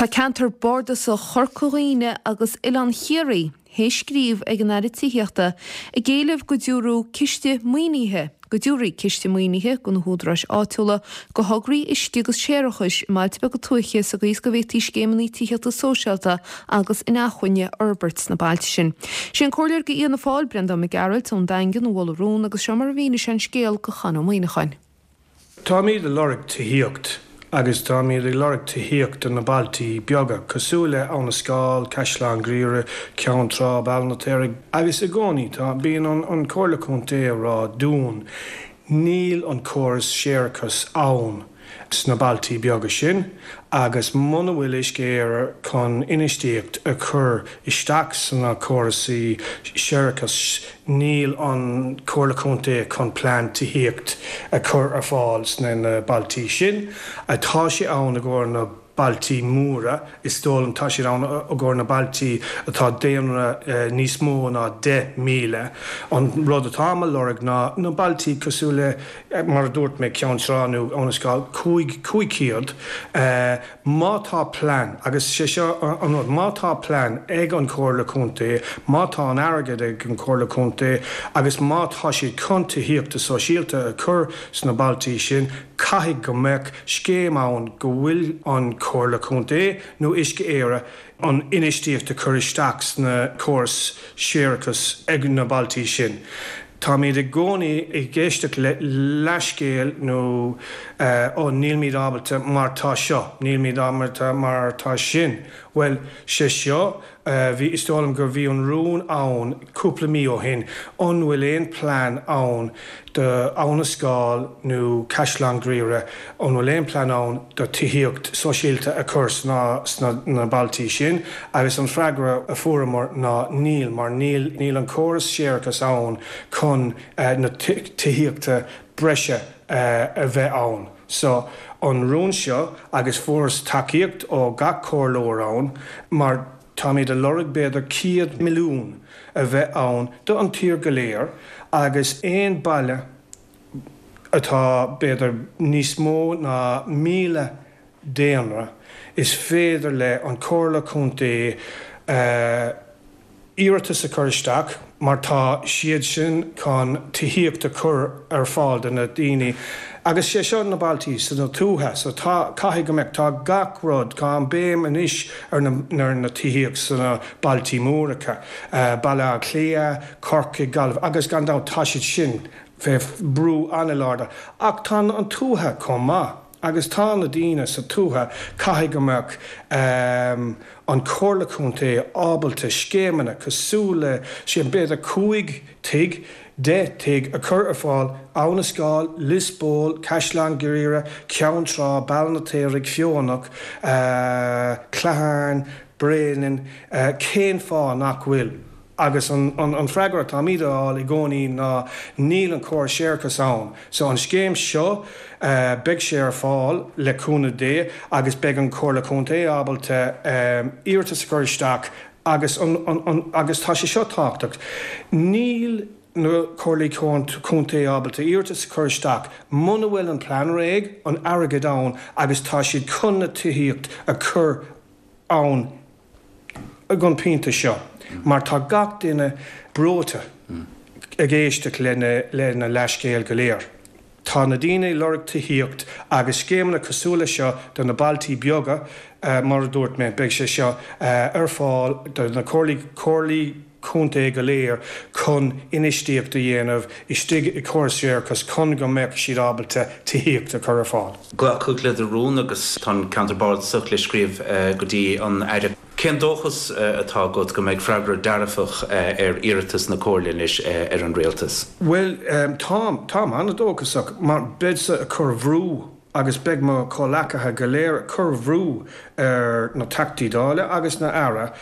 Tá Ceantar Bardasach Chorca Dhuibhne agus Oileán Chiarraí théis scríobh ag an Aire Tithíochta ag éileamh go dtabharfadh ciste maoinithe go dtabharfaí ciste maoinithe do na húdaráis áitiúla do thograí uisce agus séarachais i mbailte beaga tuaithe sa gcaoi is go bhféadfaí scéimeanna tithíochta sóisialta agus inacmhainne a fhorbairt sna bailte sin. Sé an Comhairleoir do Fhianna Fáil, Breandán Mac Gearailt ón Daingean a mhol an rún agus seo mar a mhínigh sé an scéal do Chon Ó Muíneacháin. Táimid ag lorg tithíocht agus táimid ag lorg tithíocht do na bailtí beaga, cosúil le Abha na Scáil, Caisleán Ghriaire, Ceann Trá, Béal an Fheirtéaraigh. Agus i gcónaí tá, bíonn an Comhairle Contae ag rá dúinn, níl an córas séarachais ann sna bailtí beaga sin agus muna bhfuil Uisce Éireann chun infheistíocht a chur isteach sna córasaí séarachais níl an Comhairle Contae chun plean tithíocht a chur ar fáil sna na bailtí sin. Tá sé ann i gcomhair na bailtí móra, is dóigh liom, tá siad ann i gcomhair na bailtí atá daonra níos mó ná 10,000. An rud atáim a lorg ná na bailtí cosúil le, mar a dúirt mé, Ceann Trá nó Abha na Scáil, 500. Má tá plean, agus sé seo an rud, má tá plean ag an Chomhairle Contae, má tá an airgead ag an Chomhairle Contae agus má tá siad chun tithíochta sóisialta a chur sna bailtí sin, caithfidh go mbeadh scéim ann go bhfuil an Chomhairle Contae nó Uisce Éireann an infheistíocht a chur isteach sna córais séarachais ag na bailtí sin. Táimid i gcónaí ag éisteacht le leathscéal nó ó nílimid ábalta mar tá seo, nílimid ábalta mar tá sin. Bhuel, sé seo, bhí, is dóigh liom gur bhí an rún ann cúpla mí ó shin, an bhfuil aon plean ann do Abha na Scáil nó Caisleán Ghriaire, an bhfuil aon plean ann do tithíocht sóisialta a chur sna sna bailtí sin? Agus an freagra a fuaireamar ná níl, mar níl níl an córas séarachais ann chun na tithíochta breise a bheith ann. So, an rún seo, agus fuaireas tacaíocht ó gach comhairleoir ann, mar táimid a lorg b'fhéidir 100 milliún a bheith ann do an tír go léir agus aon baile atá b'fhéidir níos mó ná 1,000 daonra, is féidir le an Comhairle Contae iarratas a chur isteach mar tá siad sin chun tithíocht a chur ar fáil do na daoine agus sé seo na bailtí sna tuaithe so tá, caithfidh go mbeadh, tá gach rud, tá an béim anois ar na, ar na tithíocht sna bailtí móracha, Baile Átha Cliath, Corcaigh, Gaillimh agus gan dabht tá siad sin fé bhrú an-láidir ach tá an tuaithe chomh maith agus tá na daoine sa tuaithe, caithfidh go mbeadh an Chomhairle Contae ábalta scéimeanna cosúil le sin, b'fhéidir 5 tigh, 10 tigh a chur ar fáil, Abha na Scáil, Lios Póil, Caisleán Ghriaire, Ceann Trá, Béal an Fheirtéaraigh, Feothanach, Clochán, Bréanainn, cén fáth nach bhfuil? Agus an freagra atáimid a fháil i gcónaí ná níl an córas séarachais ann. So an scéim seo, beidh sé ar fáil le cúnamh Dé agus beidh an Chomhairle Contae ábalta iarratas a chur isteach agus an, agus tá sé seo tábhachtach, níl na Comhairlí Contae ábalta iarratas a chur isteach muna bhfuil an plean réidh, an airgead ann agus tá siad chun na tithíocht a chur ann ag an pointe seo mar tá gach duine breoite ag éisteacht le na leathscéal go léir. Tá na daoine ag lorg tithíocht agus scéimeanna cosúil le seo do na bailtí beaga, mar a dúirt mé, beidh sé seo ar fáil do na comhairlí contae go léir chun infheistíocht a dhéanamh istigh i córas séarachais chun go mbeadh siad ábalta tithíocht a chur ar fáil. Glacadh le do rún agus tá an Ceantar Bardasach le scríobh go dtí an Aire. Cén dóchas atá agat go mbeidh freagra dearfach ar iarratas na Comhairle anois ar an Rialtas? Bhuel, táim, táim an-dóchasach mar beidhse ag cur bhrú agus beidh mo chomhleacaithe go léir ag cur bhrú ar na Teachtaí Dála agus na Aire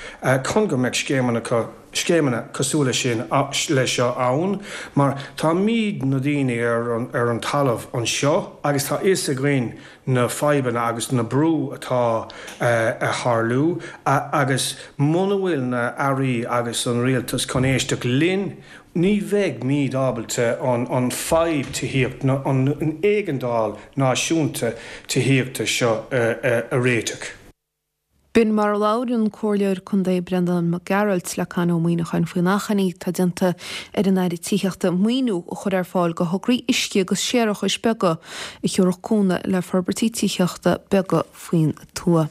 chun go mbeadh scéimeanna scéimeanna cosúil le sin le seo ann mar táimid na daoine ar an ar an talamh anseo agus tá fhios againn na fadhbanna agus na brú atá a tharlú agus muna bhfuil na Airí agus an Rialtas chun éisteacht linn Ní bheidh míd ábalta an fadhb tithíocht, an éigeandáil náisiúnta tithíochta seo a réiteach. B'in mar a labhair an Comhairleoir Contae Breandán Mac Gearailt le Con Ó Muíneacháin faoin achainí atá déanta ar an Aire Tithíochta maoiniú a chur ar fáil do thograí uisce agus séarachais beaga a thiúrfadh cúnamh le forbairtí tithíochta beaga faoin tuath.